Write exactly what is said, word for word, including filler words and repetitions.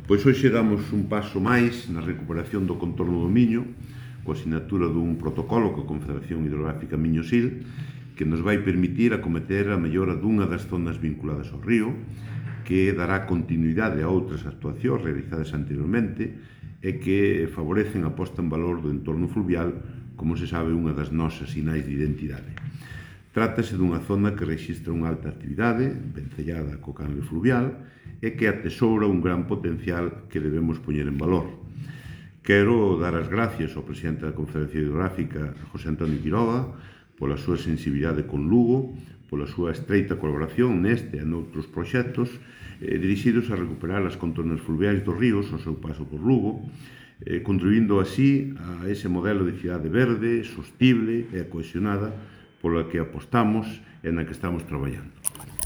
Pois hoxe damos un paso máis na recuperación do contorno do Miño, coa sinatura dun protocolo coa Confederación Hidrográfica Miño-Sil, que nos vai permitir acometer a mellora dunha das zonas vinculadas ao río, que dará continuidade a outras actuacións realizadas anteriormente e que favorecen a posta en valor do entorno fluvial, como se sabe, unha das nosas sinais de identidade. Trátase dunha zona que rexistra unha alta actividade, vencellada co canle fluvial, e que atesoura un gran potencial que debemos poñer en valor. Quero dar as gracias ao presidente da Confederación Hidrográfica, José Antonio Quiroga, pola súa sensibilidade con Lugo, pola súa estreita colaboración neste e noutros proxectos eh, dirixidos a recuperar as contornas fluviais dos ríos ao seu paso por Lugo, eh, contribuindo así a ese modelo de cidade verde, sostible e cohesionada pola que apostamos e na que estamos traballando.